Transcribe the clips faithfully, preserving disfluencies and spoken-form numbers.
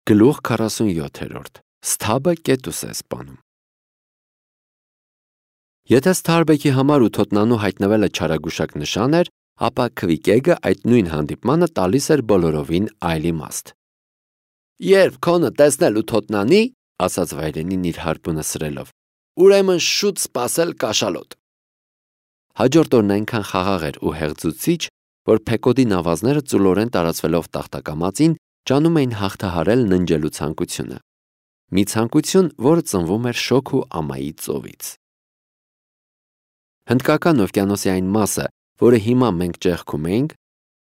Գլուխ քառասունյոթերորդ. Սթաբը կետուս է սպանում։ Եթե Սթարբեքի համար ութոտնանու հայտնվելը չարագուշակ նշան էր, ապա Քվիկեգը այդ նույն հանդիպմանը տալիս էր բոլորովին այլ իմաստ։ Երբ քոնը տեսնել ութոտնանի, ասաց վայրենին իր հարբունը սրելով, ուրեմն շուտ սպասել կաշալոտ։ Հաջորդ օրն այնքան խաղաղ էր ու հեղձուցիչ, որ Փեկոդի նավազները ծուլորեն տարածվելով տախտակամածին ջանում էին հաղթահարել ննջելու ցանկությունը։ Մի ցանկություն, որը ծնվում էր շոգ ու ամայի ծովից։ Հնդկական օվկիանոսի այն մասը, որը հիմա մենք ճեղքում էինք,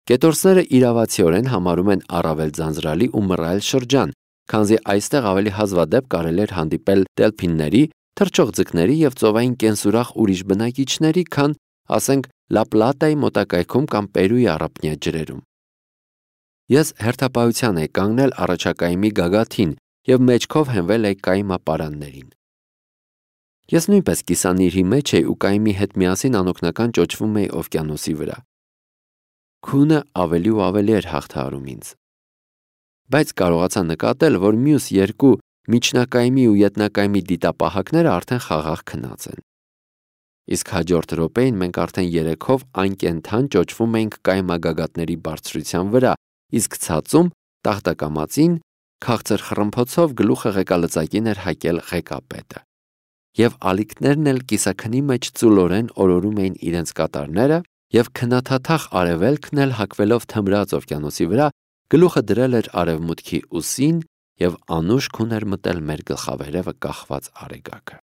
կետորսները իրավացիորեն համարում են առավել ձանձրալի ու մռայլ շրջան, քանզի այստեղ ավելի հազվադեպ կարելի էր հանդիպել դելփինների, թռչող ձկների եւ ծովային կենսուրախ ուրիշ բնակիչների, քան, ասենք, Լա Պլատայի մոտակայքում կամ Պերուի առափնյա ջրերում։ Ես հերթապահության էի կանգնել առաջակայմի գագաթին եւ մեջքով հենվել էի կայմապարաններին։ Ես նույնպես կիսանիրի մեջ էի ու կայմի հետ միասին անօգնական ճոճվում էի օվկիանոսի վրա։ Քունը ավելի ու ավելի էր հաղթահարում ինձ։ Բայց կարողացա նկատել, որ մյուս երկու միջնակայմի ու ետնակայմի դիտապահակները արդեն խաղաղ քնած են։ Իսկ հաջորդ րոպեին մենք արդեն երեքով անկենդան ճոճվում էինք կայմագագաթների բարձրության վրա, իսկ ցածում տախտակամածին քաղցր խռմփոցով գլուխը ղեկալծակին էր հակել ղեկապետը։ Եվ ալիքներն էլ կիսաքնի մեջ ծուլորեն օրորում էին իրենց կատարները, եւ քնաթաթախ արևելքն էլ հակվելով թմրած օվկիանոսի վրա գլուխը դրել էր արևմուտքի ուսին եւ անուշ քուն էր մտել մեր գլխավերևը կախված արեգակը։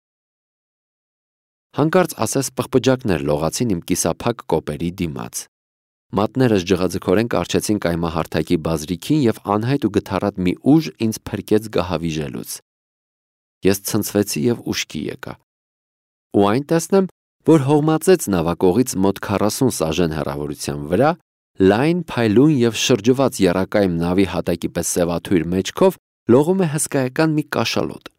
Հանկարծ ասես պղպջակներ լողացին իմ կիսափակ կոպերի դիմաց։ Մատներս ջղաձգորեն կարճեցին կայմահարթակի բազրիքին եւ անհայտ ու գթառատ մի ուժ ինձ փրկեց գահավիժելուց։ Ես ցնցվեցի եւ ուշքի եկա։ Ու այն տեսնեմ, որ հողմածեց նավակողից մոտ քառասուն սաժեն հեռավորության վրա, լայն, փայլուն եւ շրջված եռակայմ նավի հատակի պես սևաթույր մեջքով լողում է հսկայական մի կաշալոտ։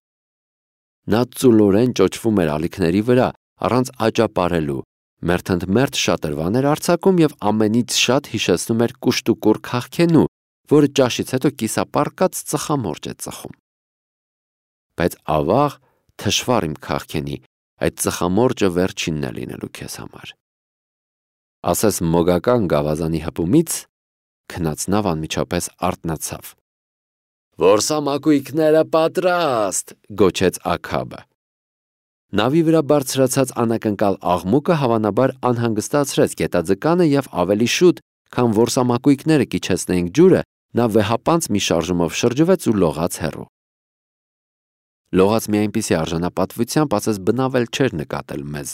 Նա ծուլորեն ճոճվում էր ալիքների վրա, առանց աճապարելու, մերթընդմերթ շատրվան էր արձակում եւ ամենից շատ հիշեցնում էր կուշտուկուռ քաղքենու, որը ճաշից հետո կիսապառկած ծխամորճ է ծխում։ Բայց ավաղ, թշվառ իմ քաղքենի, այդ ծխամորճը վերջինն է լինելու քեզ համար։ Ասես մոգական գավազանի հպումից քնած նավ անմիջապես արթնացավ։ Որսամակույկները պատրաստ, գոչեց Աքաբը։ Նավի վրա բարձրացած անակնկալ աղմուկը հավանաբար անհանգստացրեց գետաձկանը եւ ավելի շուտ, քան որսամակույկները կիչեցնեին ջուրը, նա վեհապանց մի շարժումով շրջվեց ու լողաց հեռու։ Լողաց մի այնպիսի արժանապատվությամբ, ասես բնավել չէր նկատել մեզ։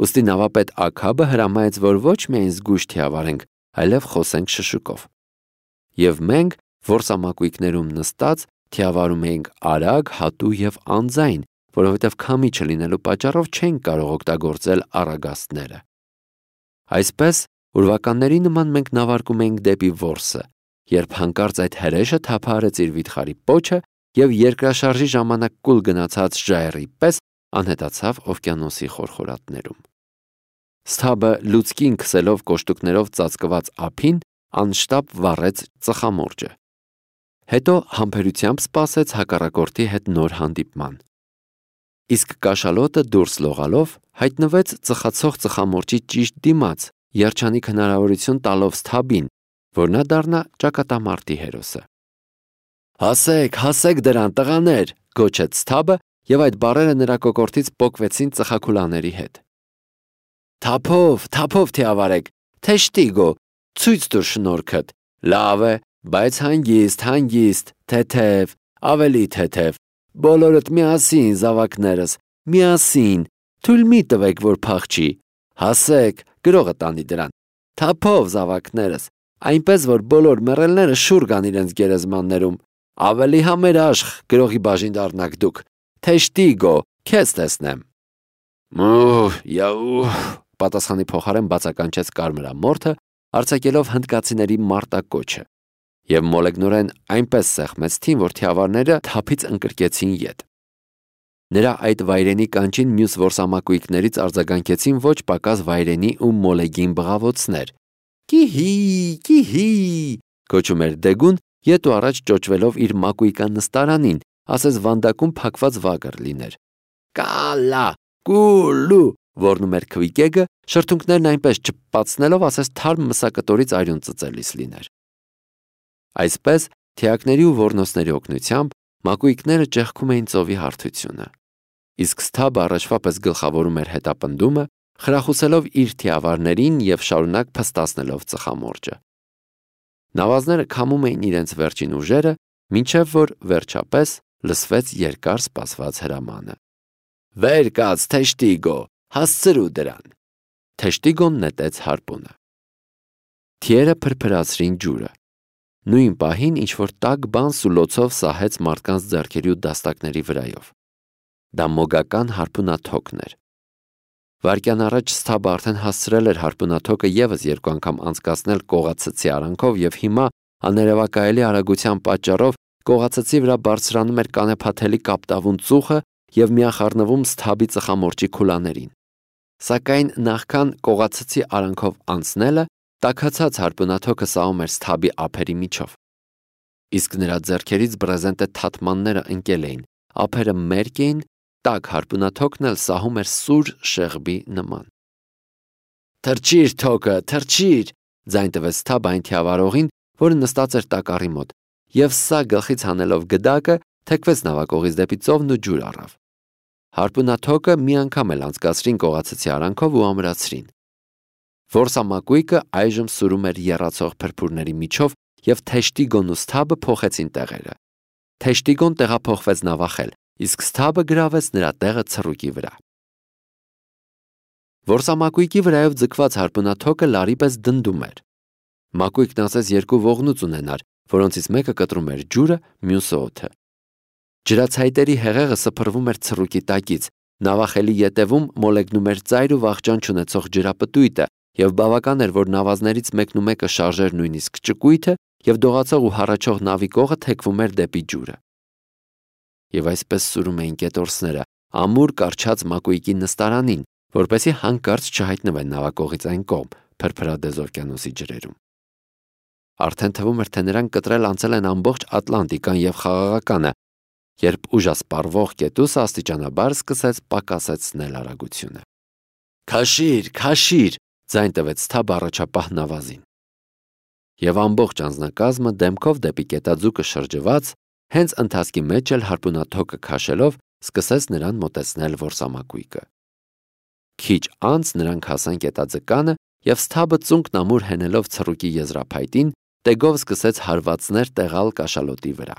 Ուստի նավապետ Աքաբը հրամայեց, որ ոչ միայն զգույշ թիավարենք, այլև խոսենք շշուկով։ Եվ մենք որսամակույկներում նստած թիավարում էինք արագ, հատու եւ անձայն, որովհետև քամի չլինելու պատճառով չենք կարող օգտագործել առագաստները։ Այսպես, ուրվականների նման մենք նավարկում էինք դեպի որսը, երբ հանկարծ այդ հրեշը թափահարեց իր վիթխարի պոչը եւ երկրաշարժի ժամանակ կուլ գնացած ժայռի պես անհետացավ օվկիանոսի խորխորատներում։ Սթաբը լուցկին քսելով կոշտուկներով ծածկված ափին անշտապ վառեց ծխամորճը։ Հետո համբերությամբ սպասեց հակառակորդի հետ նոր հանդիպման։ Իսկ կաշալոտը դուրս լողալով հայտնվեց ծխացող ծխամորճի ճիշտ դիմաց, երջանիկ հնարավորություն տալով Սթաբին, որ նա դառնա ճակատամարտի հերոսը։ Հասեք, հասեք դրան, տղաներ, գոչեց Սթաբը, եւ այդ բառերը նրա կոկորդից պոկվեցին ծխակուլաների հետ։ Թափով, թափով թիավարեք, թեշտիգո, ցույց տուր շնորհքդ։ Լավ է, բայց հանգիստ, հանգիստ, թեթև, ավելի թեթև։ Բոլորդ միասին, զավակներս, միասին, թույլ մի տվեք, որ փախչի։ Հասեք, գրողը տանի դրան։ Թափով, զավակներս, այնպես որ բոլոր մեռելները շուռ գան իրենց գերեզմաններում։ Ավելի համերաշխ, գրողի բաժին դառնաք դուք։ Թեշտիգո, քեզ տեսնեմ։ Մուհ, яу, պատասխանի փոխարեն բացականչեց կարմրամորթը, արձակելով հնդկացիների մարտակոչը, եւ մոլեգնորեն այնպես սեղմեց թին, որ թիավարները թափից ընկրկեցին ետ։ Նրա այդ վայրենի կանչին մյուս որսամակույկներից արձագանքեցին ոչ պակաս վայրենի ու մոլեգին բղավոցներ։ Կիհի, կիհի, կոչում էր Դեգուն ետ ու առաջ ճոճվելով իր մակույկան նստարանին, ասես վանդակում փակված վագր լիներ։ Կալա, կուլու, որնում էր քվիկեգը, շրթունքներն այնպես չպացնելով, ասես թարմ մսակտորից արյուն ծծելիս լիներ։ Այսպես, թիակների ու ոռնոցների օգնությամբ մակույկները ճեղքում էին ծովի հարթությունը։ Իսկ Սթաբը առաջվա պես գլխավորում էր հետապնդումը, խրախուսելով իր թիավարներին և շարունակ փստացնելով ծխամորճը։ Նավազները քամում էին իրենց վերջին ուժերը, մինչև որ վերջապես լսվեց երկար սպասված հրամանը. «Վեր կաց, Թեշտիգո, հասցրու դրան»։ Թեշտիգոն նետեց հարպունը։ Թիերը փրփրացրին ջուրը։ Նույն պահին ինչ-որ տաք բան սուլոցով սահեց մարդկանց ձեռքերի ու դաստակների վրայով։ Դա մոգական հարպունաթոքն էր։ Վայրկյան առաջ Սթաբը արդեն հասցրել էր հարպունաթոքը ևս երկու անգամ անցկացնել կողացցի արանքով և հիմա աներևակայելի արագության պատճառով կողացցի վրա բարձրանում էր կանեփաթելի կապտավուն ծուխը և միախառնվում Սթաբի ծխամորճի քուլաներին։ Սակայն նախքան կողացցի արանքով անցնելը, տաքացած հարպունաթոքը սահում էր Սթաբի ափերի միջով։ Իսկ նրա ձեռքերից բրեզենտե թաթմանները ընկել էին, ափերը մերկ էին, տաք հարպունաթոքն էլ սահում էր սուր շեղբի նման։ «Թռչիր թոքը, թռչիր», ձայն տվեց Սթաբը այն թիավարողին, որը նստած էր տակառի մոտ, և սա գլխից հանելով գդակը, թեքվեց նավակողից դեպի ծովն ու ջուր առավ։ Հարպունաթոքը մի անգամ էլ անցկացրին կողացցի արանքով ու ամրացրին։ Որսամակույկը այժմ սուրում էր եռացող փրփուրների միջով, և Թեշտիգոն ու Սթաբը փոխեցին տեղերը։ Թեշտիգոն տեղափոխվեց նավախել, իսկ Սթաբը գրավեց նրա տեղը ցռուկի վրա։ Որսամակույկի վրայով ձգված հարպունաթոքը լարի պես դնդում էր։ Մակույկն ասես երկու ողնուց ունենար, որոնցից մեկը կտրում էր ջուրը, մյուսը օդը։ Ջրացայտերի հեղեղը սփռվում էր ցռուկի տակից, նավախելի ետևում մոլեգնում էր ծայր ու վախճան չունեցող ջրապտույտը, և բավական էր, որ նավազներից մեկն ու մեկը շարժեր նույնիսկ ճկույթը, և դողացող ու հառաչող նավի կողը թեքվում էր դեպի ջուրը։ Եվ այսպես սուրում էին կետորսները ամուր կառչած մակույկի նստարանին, որպեսզի հանկարծ չհայտնվեն նավակողից այն կողմ, Փրփրադեզ օվկիանոսի ջրերում։ Արդեն թվում էր, թե նրանք կտրել անցել են ամբողջ Ատլանտիկան և Խաղաղականը, երբ ուժասպառվող կետուսը աստիճանաբար սկսեց պակասեցնել արագությունը։ «Քաշիր, քաշիր», ձայն տվեց Սթաբը առաջապահ նավազին։ Եվ ամբողջ անձնակազմը դեմքով դեպի կետաձուկը շրջված, հենց ընթացքի մեջ էլ հարպունաթոքը քաշելով սկսեց նրան մոտեցնել որսամակույկը։ Քիչ անց նրանք հասան կետաձկանը, և Սթաբը ծունկն ամուր հենելով ցռուկի եզրափայտին, տեգով սկսեց հարվածներ տեղալ կաշալոտի վրա։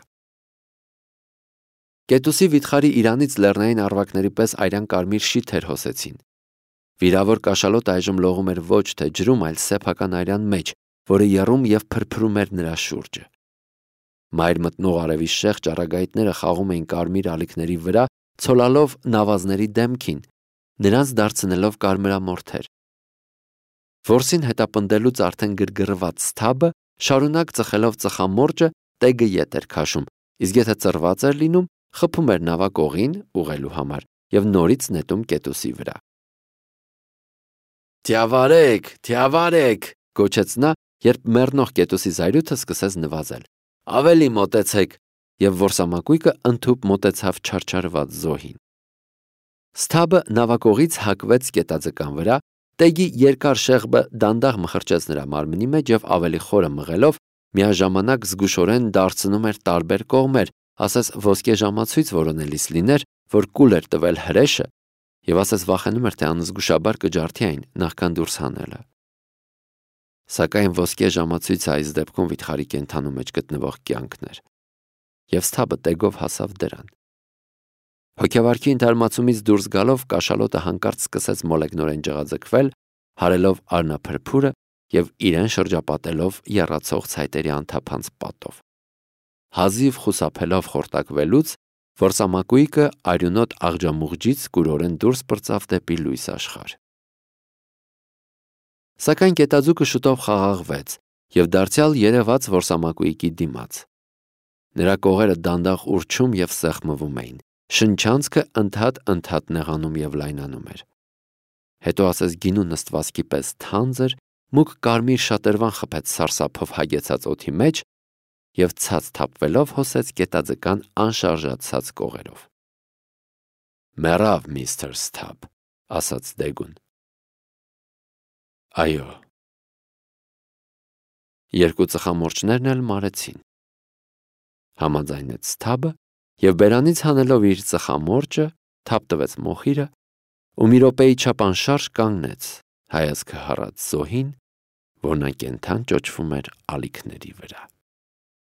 Կետուսի վիթխարի իրանից լեռնային առվակների պես արյան կարմիր շիթեր հոսեցին։ Վիրավոր կաշալոտը այժմ լողում էր ոչ թե ջրում, այլ սեփական արյան մեջ, որը եռում և փրփրում էր նրա շուրջը։ Մայր մտնող արևի շեղ ճառագայթները խաղում էին կարմիր ալիքների վրա, ցոլալով նավազների դեմքին, նրանց դարձնելով կարմրամորթեր։ Որսին հետապնդելուց արդեն գրգռված Սթաբը շարունակ ծխելով ծխամորճը տեգը ետ էր քաշում, իսկ եթե ծռված էր լինում, խփում էր նավակողին ուղղելու համար և նորից նետում կետուսի վրա։ «Թիավարեք, թիավարեք», գոչեց նա, երբ մեռնող կետուսի զայրույթը սկսեց նվազել։ «Ավելի մոտեցեք», և որսամակույկը ընդհուպ մոտեցավ չարչարված զոհին։ Սթաբը նավակողից հակվեց կետաձկան վրա, տեգի երկար շեղբը դանդաղ մխրճեց նրա մարմնի մեջ և ավելի խորը մղելով, միաժամանակ զգուշորեն դարձնում էր տարբեր կողմեր, ասես ոսկե ժամացույց որոնելիս լիներ, որ կուլ էր տվել հրեշը, և ասես վախենում էր, թե անզգուշաբար կջարդի այն, նախքան դուրս հանելը։ Սակայն ոսկե ժամացույցը այս դեպքում վիթխարի կենդանու մեջ գտնվող կյանքն էր, և Սթաբը տեգով հասավ դրան։ Հոգեվարքի ընդհարմացումից դուրս գալով կաշալոտը հանկարծ սկսեց մոլեգնորեն ջղաձգվել, հարելով արնափրփուրը և իրեն շրջապատելով եռացող ցայտերի անթափանց պատով։ Հազիվ խուսափելով խորտակվելուց, որսամակույկը արյունոտ աղջամուղջից կուրորեն դուրս պրծավ դեպի լույս աշխարհ։ Սակայն կետաձուկը շուտով խաղաղվեց և դարձյալ երևաց որսամակույկի դիմաց։ Նրա կողերը դանդաղ ուռչում և սեղմվում էին, շնչանցքը ընդհատ-ընդհատ նեղանում և լայնանում էր։ Հետո ասես գինու նստվածքի պես թանձր, մուգ կարմիր շատրվան խփեց սարսափով հագեցած օդի մեջ, և ցած թափվելով հոսեց գետաձկան անշարժացած կողերով։ «Մեռավ, միստր Սթաբ», ասաց Դեգուն։ «Այո»։ Երկու ծխամորճներն էլ մարեցին, համաձայնեց Սթաբը և բերանից հանելով իր ծխամորճը թափ տվեց մոխիրը ու մի րոպեի չափ անշարժ կանգնեց, հայացքը հառած զոհին, որն անկենդան ճոճվում էր ալիքների վրա։